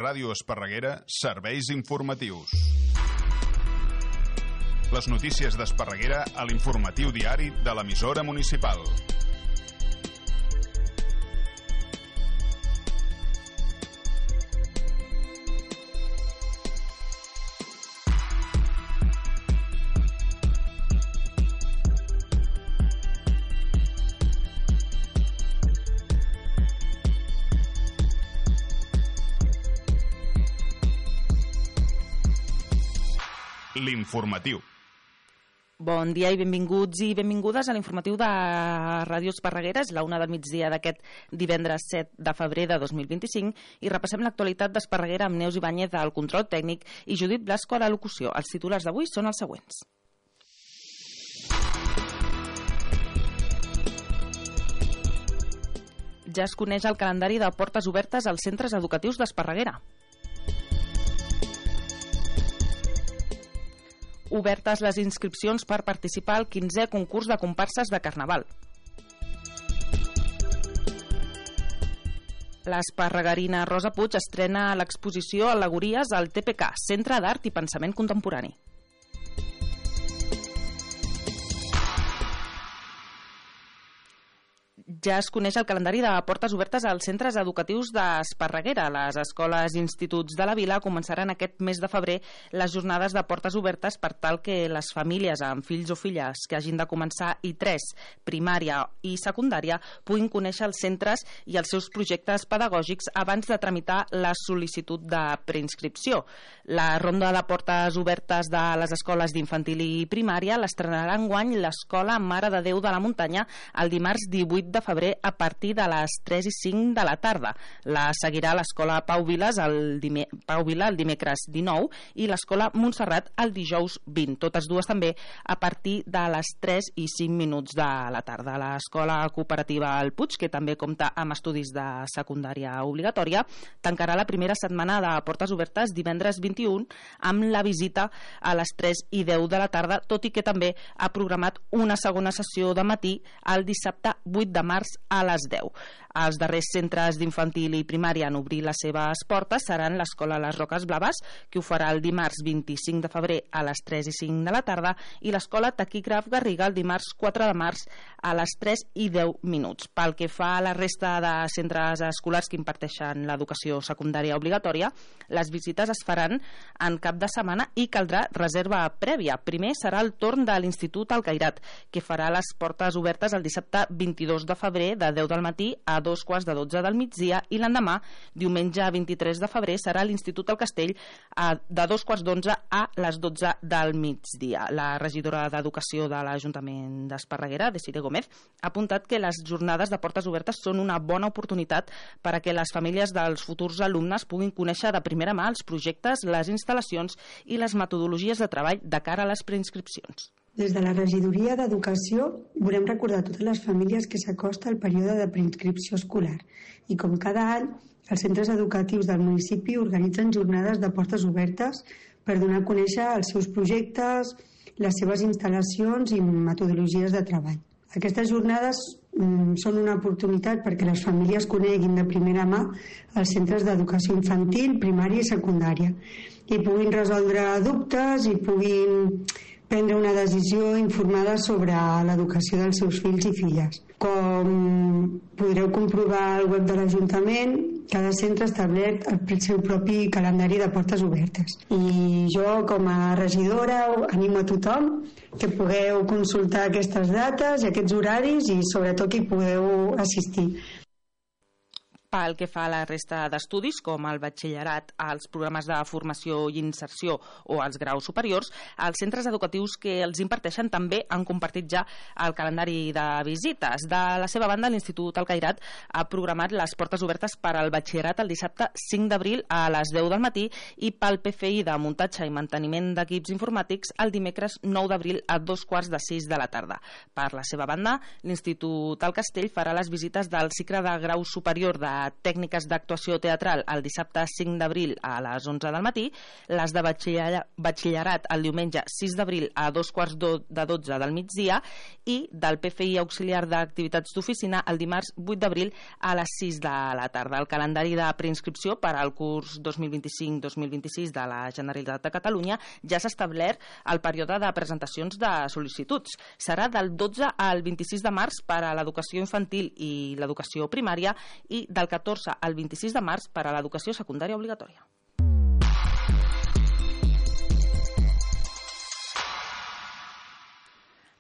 Ràdio Esparreguera, serveis informatius. Les notícies d'Esparreguera a l'informatiu diari de l'emissora municipal. L'informatiu. Bon dia i benvinguts i benvingudes a l'informatiu de Ràdio Esparreguera. És la 1 del migdia d'aquest divendres 7 de febrer de 2025 i repassem l'actualitat d'Esparreguera amb Neus Ibáñez al control tècnic i Judit Blasco a la locució. Els titulars d'avui són els següents. Ja es coneix el calendari de portes obertes als centres educatius d'Esparreguera. Obertes les inscripcions per participar al 15è concurs de comparses de Carnaval. L'esparreguerina Rosa Puig estrena l'exposició Al·legories al TPK, Centre d'Art i Pensament Contemporani. Ja es coneix el calendari de portes obertes als centres educatius d'Esparreguera. Les escoles i instituts de la vila començaran aquest mes de febrer les jornades de portes obertes per tal que les famílies amb fills o filles que hagin de començar I3, primària i secundària puguin conèixer els centres i els seus projectes pedagògics abans de tramitar la sol·licitud de preinscripció. La ronda de portes obertes de les escoles d'infantil i primària l'estrenarà enguany l'Escola Mare de Déu de la Muntanya el dimarts 18 de febrer a partir de les 3 i 5 de la tarda. La seguirà l'Escola Pau Vila el dimecres 19 i l'Escola Montserrat el dijous 20. Totes dues també a partir de les 3 i 5 minuts de la tarda. L'Escola Cooperativa El Puig, que també compta amb estudis de secundària obligatòria, tancarà la primera setmana de portes obertes divendres 21 amb la visita a les 3 i 10 de la tarda, tot i que també ha programat una segona sessió de matí el dissabte 8 de març a les 10. Els darrers centres d'infantil i primària en obrir les seves portes seran l'Escola Les Roques Blaves, que ho farà el dimarts 25 de febrer a les 3 i 5 de la tarda, i l'Escola Taquígraf Garriga el dimarts 4 de març a les 3 i 10 minuts. Pel que fa a la resta de centres escolars que imparteixen l'educació secundària obligatòria, les visites es faran en cap de setmana i caldrà reserva prèvia. Primer serà el torn de l'Institut Alcairat, que farà les portes obertes el dissabte 22 de febrer de 10 del matí a 2:15 del migdia, i l'endemà, diumenge 23 de febrer, serà l'Institut El Castell de 2:15 a les 12 del migdia. La regidora d'Educació de l'Ajuntament d'Esparreguera, Desiree Gómez, ha apuntat que les jornades de portes obertes són una bona oportunitat per a que les famílies dels futurs alumnes puguin conèixer de primera mà els projectes, les instal·lacions i les metodologies de treball de cara a les preinscripcions. Des de la regidoria d'Educació volem recordar a totes les famílies que s'acosta el període de preinscripció escolar i, com cada any, els centres educatius del municipi organitzen jornades de portes obertes per donar a conèixer els seus projectes, les seves instal·lacions i metodologies de treball. Aquestes jornades són una oportunitat perquè les famílies coneguin de primera mà els centres d'educació infantil, primària i secundària i puguin resoldre dubtes i puguin prendre una decisió informada sobre l'educació dels seus fills i filles. Com podreu comprovar al web de l'Ajuntament, cada centre ha establert el seu propi calendari de portes obertes. I jo, com a regidora, animo a tothom que pugueu consultar aquestes dates i aquests horaris i sobretot que hi podeu assistir. Pel que fa a la resta d'estudis, com el batxillerat, els programes de formació i inserció o els graus superiors, els centres educatius que els imparteixen també han compartit ja el calendari de visites. De la seva banda, l'Institut Alcairat ha programat les portes obertes per al batxillerat el dissabte 5 d'abril a les 10 del matí i pel PFI de muntatge i manteniment d'equips informàtics el dimecres 9 d'abril a 5:45 de la tarda. Per la seva banda, l'Institut El Castell farà les visites del cicle de grau superior de tècniques d'actuació teatral el dissabte 5 d'abril a les 11 del matí, les de batxillerat el diumenge 6 d'abril a 2:45 del migdia i del PFI auxiliar d'activitats d'oficina el dimarts 8 d'abril a les 6 de la tarda. El calendari de preinscripció per al curs 2025-2026 de la Generalitat de Catalunya ja s'ha establert el període de presentacions de sol·licituds. Serà del 12 al 26 de març per a l'educació infantil i l'educació primària i del 14 al 26 de març per a l'educació secundària obligatòria.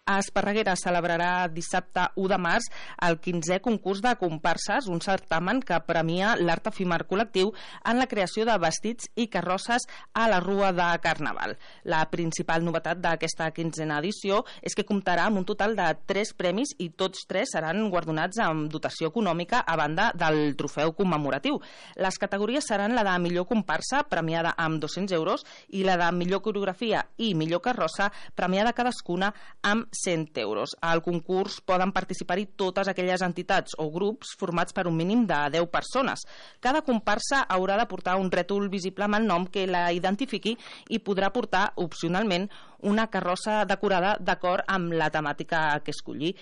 A Esparreguera celebrarà dissabte 1 de març el 15è concurs de comparses, un certamen que premia l'art efímer col·lectiu en la creació de vestits i carrosses a la Rua de Carnaval. La principal novetat d'aquesta 15a edició és que comptarà amb un total de 3 premis i tots 3 seran guardonats amb dotació econòmica a banda del trofeu commemoratiu. Les categories seran la de millor comparsa, premiada amb 200 euros, i la de millor coreografia i millor carrossa, premiada cadascuna amb 100 euros. Al concurs poden participar-hi totes aquelles entitats o grups formats per un mínim de 10 persones. Cada comparsa haurà de portar un rètol visible amb el nom que la identifiqui i podrà portar, opcionalment, una carrossa decorada d'acord amb la temàtica que escolli.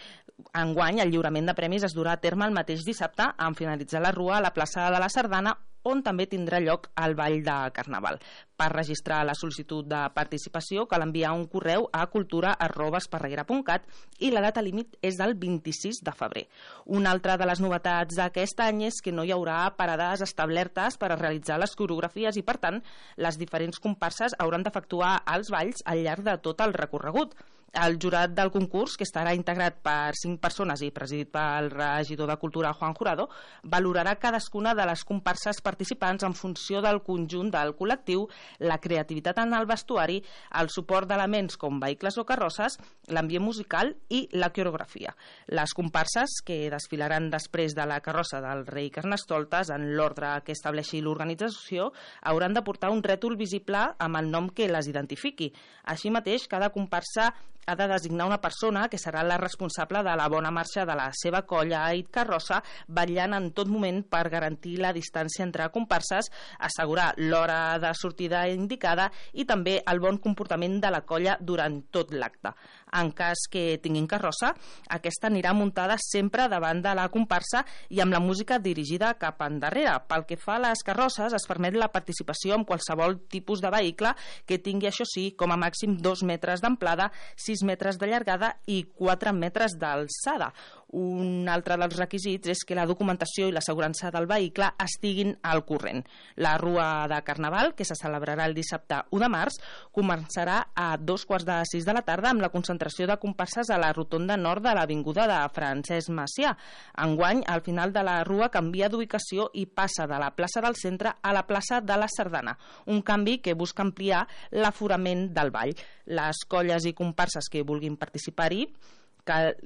Enguany, el lliurament de premis es durà a terme el mateix dissabte, en finalitzar la rua a la plaça de la Sardana, on també tindrà lloc el ball de Carnaval. Per registrar la sol·licitud de participació cal enviar un correu a cultura@esparreguera.cat i la data límit és del 26 de febrer. Una altra de les novetats d'aquest any és que no hi haurà parades establertes per a realitzar les coreografies i, per tant, les diferents comparses hauran d'efectuar els balls al llarg de tot el recorregut. El jurat del concurs, que estarà integrat per 5 persones i presidit pel regidor de Cultura, Juan Jurado, valorarà cadascuna de les comparses participants en funció del conjunt del col·lectiu, la creativitat en el vestuari, el suport d'elements com vehicles o carrosses, l'ambient musical i la coreografia. Les comparses, que desfilaran després de la carrossa del rei Carnestoltes en l'ordre que estableixi l'organització, hauran de portar un rètol visible amb el nom que les identifiqui. Així mateix, cada comparsa ha de designar una persona que serà la responsable de la bona marxa de la seva colla i carrossa, vetllant en tot moment per garantir la distància entre comparses, assegurar l'hora de sortida indicada i també el bon comportament de la colla durant tot l'acte. En cas que tinguin carrossa, aquesta anirà muntada sempre davant de la comparsa i amb la música dirigida cap endarrere. Pel que fa a les carrosses, es permet la participació en qualsevol tipus de vehicle que tingui, això sí, com a màxim 2 metres d'amplada, 6 metres de llargada i 4 metres d'alçada. Un altre dels requisits és que la documentació i l'assegurança del vehicle estiguin al corrent. La Rua de Carnaval, que se celebrarà el dissabte 1 de març, començarà a 2:45 de la tarda amb la concentració de comparses a la rotonda nord de l'avinguda de Francesc Macià. Enguany, al final de la Rua canvia d'ubicació i passa de la plaça del centre a la plaça de la Sardana, un canvi que busca ampliar l'aforament del ball. Les colles i comparses que vulguin participar-hi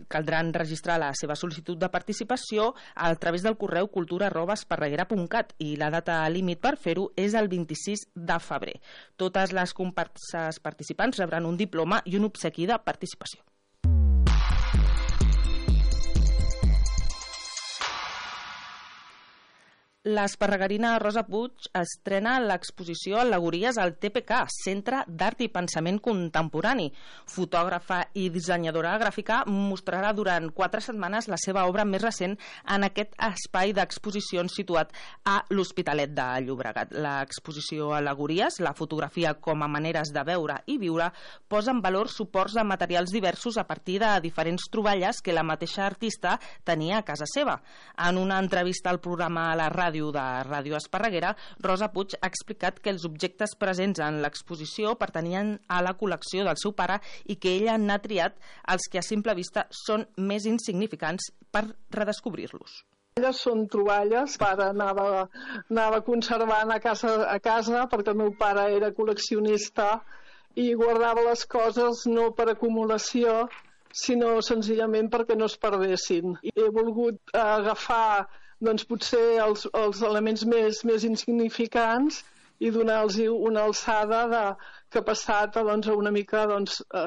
caldran registrar la seva sol·licitud de participació a través del correu cultura@esparreguera.cat i la data límit per fer-ho és el 26 de febrer. Totes les comparses participants rebran un diploma i un obsequi de participació. L'esparreguerina Rosa Puig estrena l'exposició Al·legories al TPK, Centre d'Art i Pensament Contemporani. Fotògrafa i dissenyadora gràfica, mostrarà durant 4 setmanes la seva obra més recent en aquest espai d'exposicions situat a l'Hospitalet de Llobregat. L'exposició Al·legories, la fotografia com a maneres de veure i viure, posa en valor suports de materials diversos a partir de diferents troballes que la mateixa artista tenia a casa seva. En una entrevista al programa a la ràdio de Ràdio Esparreguera, Rosa Puig ha explicat que els objectes presents en l'exposició pertanyen a la col·lecció del seu pare i que ella n'ha triat els que a simple vista són més insignificants per redescobrir-los. Són troballes, pare anava conservant a casa perquè el meu pare era col·leccionista i guardava les coses no per acumulació, sinó senzillament perquè no es perdessin. He volgut agafar potser els elements més insignificants i donar-los una alçada que ha passat doncs, una mica,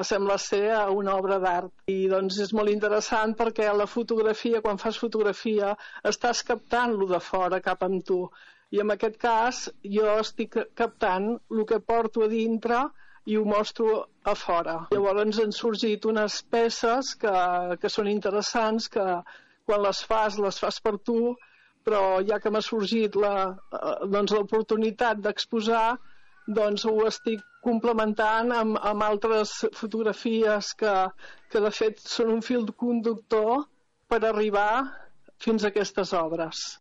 sembla ser, a una obra d'art. I doncs, és molt interessant perquè la fotografia, quan fas fotografia, estàs captant lo de fora cap amb tu. I en aquest cas jo estic captant el que porto a dintre i ho mostro a fora. Llavors han sorgit unes peces que són interessants, que quan les fas per tu, però ja que m'ha sorgit l'oportunitat d'exposar, doncs ho estic complementant amb altres fotografies que de fet són un fil conductor per arribar fins a aquestes obres.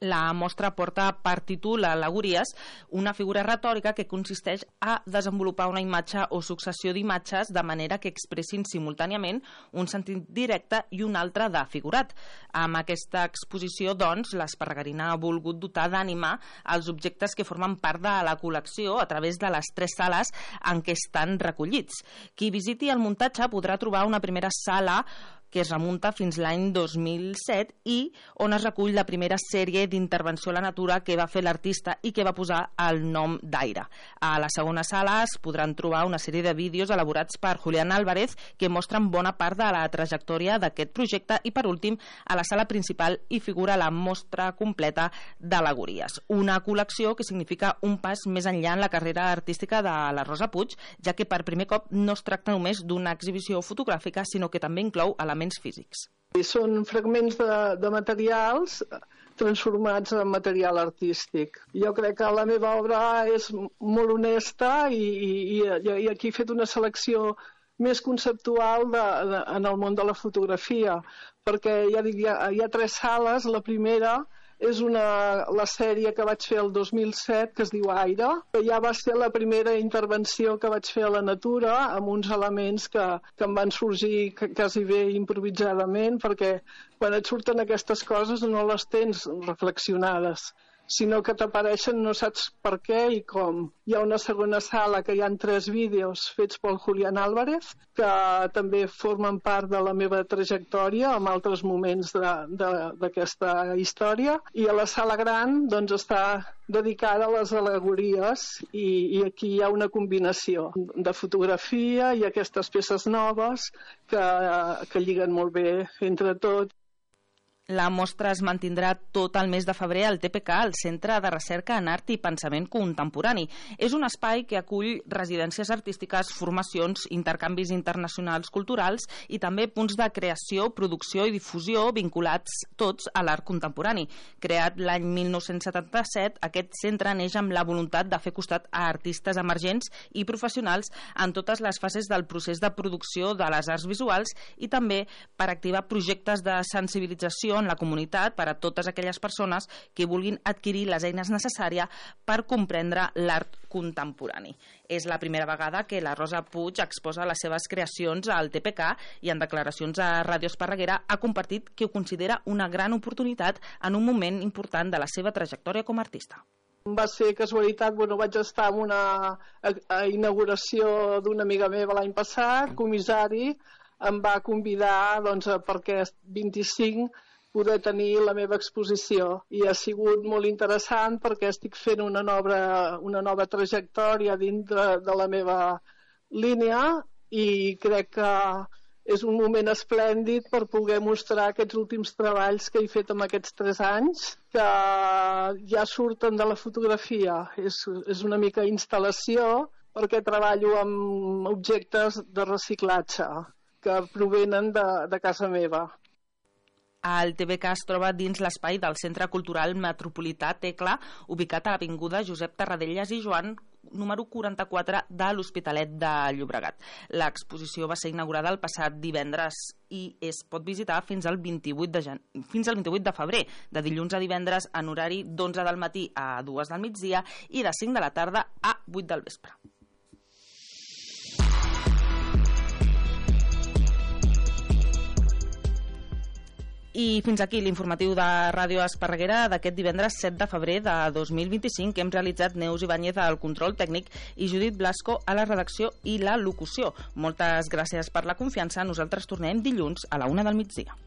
La mostra porta per títol Al·legories, una figura retòrica que consisteix a desenvolupar una imatge o successió d'imatges de manera que expressin simultàniament un sentit directe i un altre de figurat. Amb aquesta exposició, doncs, l'Esparreguerina ha volgut dotar d'ànima els objectes que formen part de la col·lecció a través de les 3 sales en què estan recollits. Qui visiti el muntatge podrà trobar una primera sala que es remunta fins l'any 2007 i on es recull la primera sèrie d'intervenció a la natura que va fer l'artista i que va posar el nom d'Aire. A la segona sala es podran trobar una sèrie de vídeos elaborats per Julián Álvarez que mostren bona part de la trajectòria d'aquest projecte i, per últim, a la sala principal hi figura la mostra completa d'al·legories. Una col·lecció que significa un pas més enllà en la carrera artística de la Rosa Puig, ja que per primer cop no es tracta només d'una exhibició fotogràfica, sinó que també inclou elements físics. Són fragments de materials transformats en material artístic. Jo crec que la meva obra és molt honesta i aquí he fet una selecció més conceptual en el món de la fotografia, perquè ja dic, hi ha 3 sales. La primera és la sèrie que vaig fer el 2007, que es diu Aire, que ja va ser la primera intervenció que vaig fer a la natura, amb uns elements que em van sorgir quasi bé improvisadament, perquè quan et surten aquestes coses no les tens reflexionades, sinó que t'apareixen, no saps per què i com. Hi ha una segona sala que hi ha 3 vídeos fets pel Julián Álvarez, que també formen part de la meva trajectòria en altres moments d'aquesta història. I a la sala gran doncs, està dedicada a les al·legories i aquí hi ha una combinació de fotografia i aquestes peces noves que lliguen molt bé entre tot. La mostra es mantindrà tot el mes de febrer al TPK, el Centre de Recerca en Art i Pensament Contemporani. És un espai que acull residències artístiques, formacions, intercanvis internacionals culturals i també punts de creació, producció i difusió vinculats tots a l'art contemporani. Creat l'any 1977, aquest centre neix amb la voluntat de fer costat a artistes emergents i professionals en totes les fases del procés de producció de les arts visuals i també per activar projectes de sensibilització en la comunitat per a totes aquelles persones que vulguin adquirir les eines necessàries per comprendre l'art contemporani. És la primera vegada que la Rosa Puig exposa les seves creacions al TPK i en declaracions a Ràdio Esparreguera ha compartit que ho considera una gran oportunitat en un moment important de la seva trajectòria com a artista. Va ser casualitat, vaig estar en una inauguració d'una amiga meva l'any passat, comissari, em va convidar perquè 25 poder tenir la meva exposició i ha sigut molt interessant perquè estic fent una nova trajectòria dintre de la meva línia i crec que és un moment esplèndid per poder mostrar aquests últims treballs que he fet en aquests 3 anys que ja surten de la fotografia. És una mica instal·lació perquè treballo amb objectes de reciclatge que provenen de casa meva. El TPK es troba dins l'espai del Centre Cultural Metropolità Tecla, ubicat a l'avinguda Josep Tarradellas i Joan, número 44 de l'Hospitalet de Llobregat. L'exposició va ser inaugurada el passat divendres i es pot visitar fins al 28 de febrer, de dilluns a divendres en horari d'11 del matí a 2 del migdia i de 5 de la tarda a 8 del vespre. I fins aquí l'informatiu de Ràdio Esparreguera d'aquest divendres 7 de febrer de 2025 que hem realitzat Neus Ibáñez al control tècnic i Judit Blasco a la redacció i la locució. Moltes gràcies per la confiança. Nosaltres tornem dilluns a la 1 del migdia.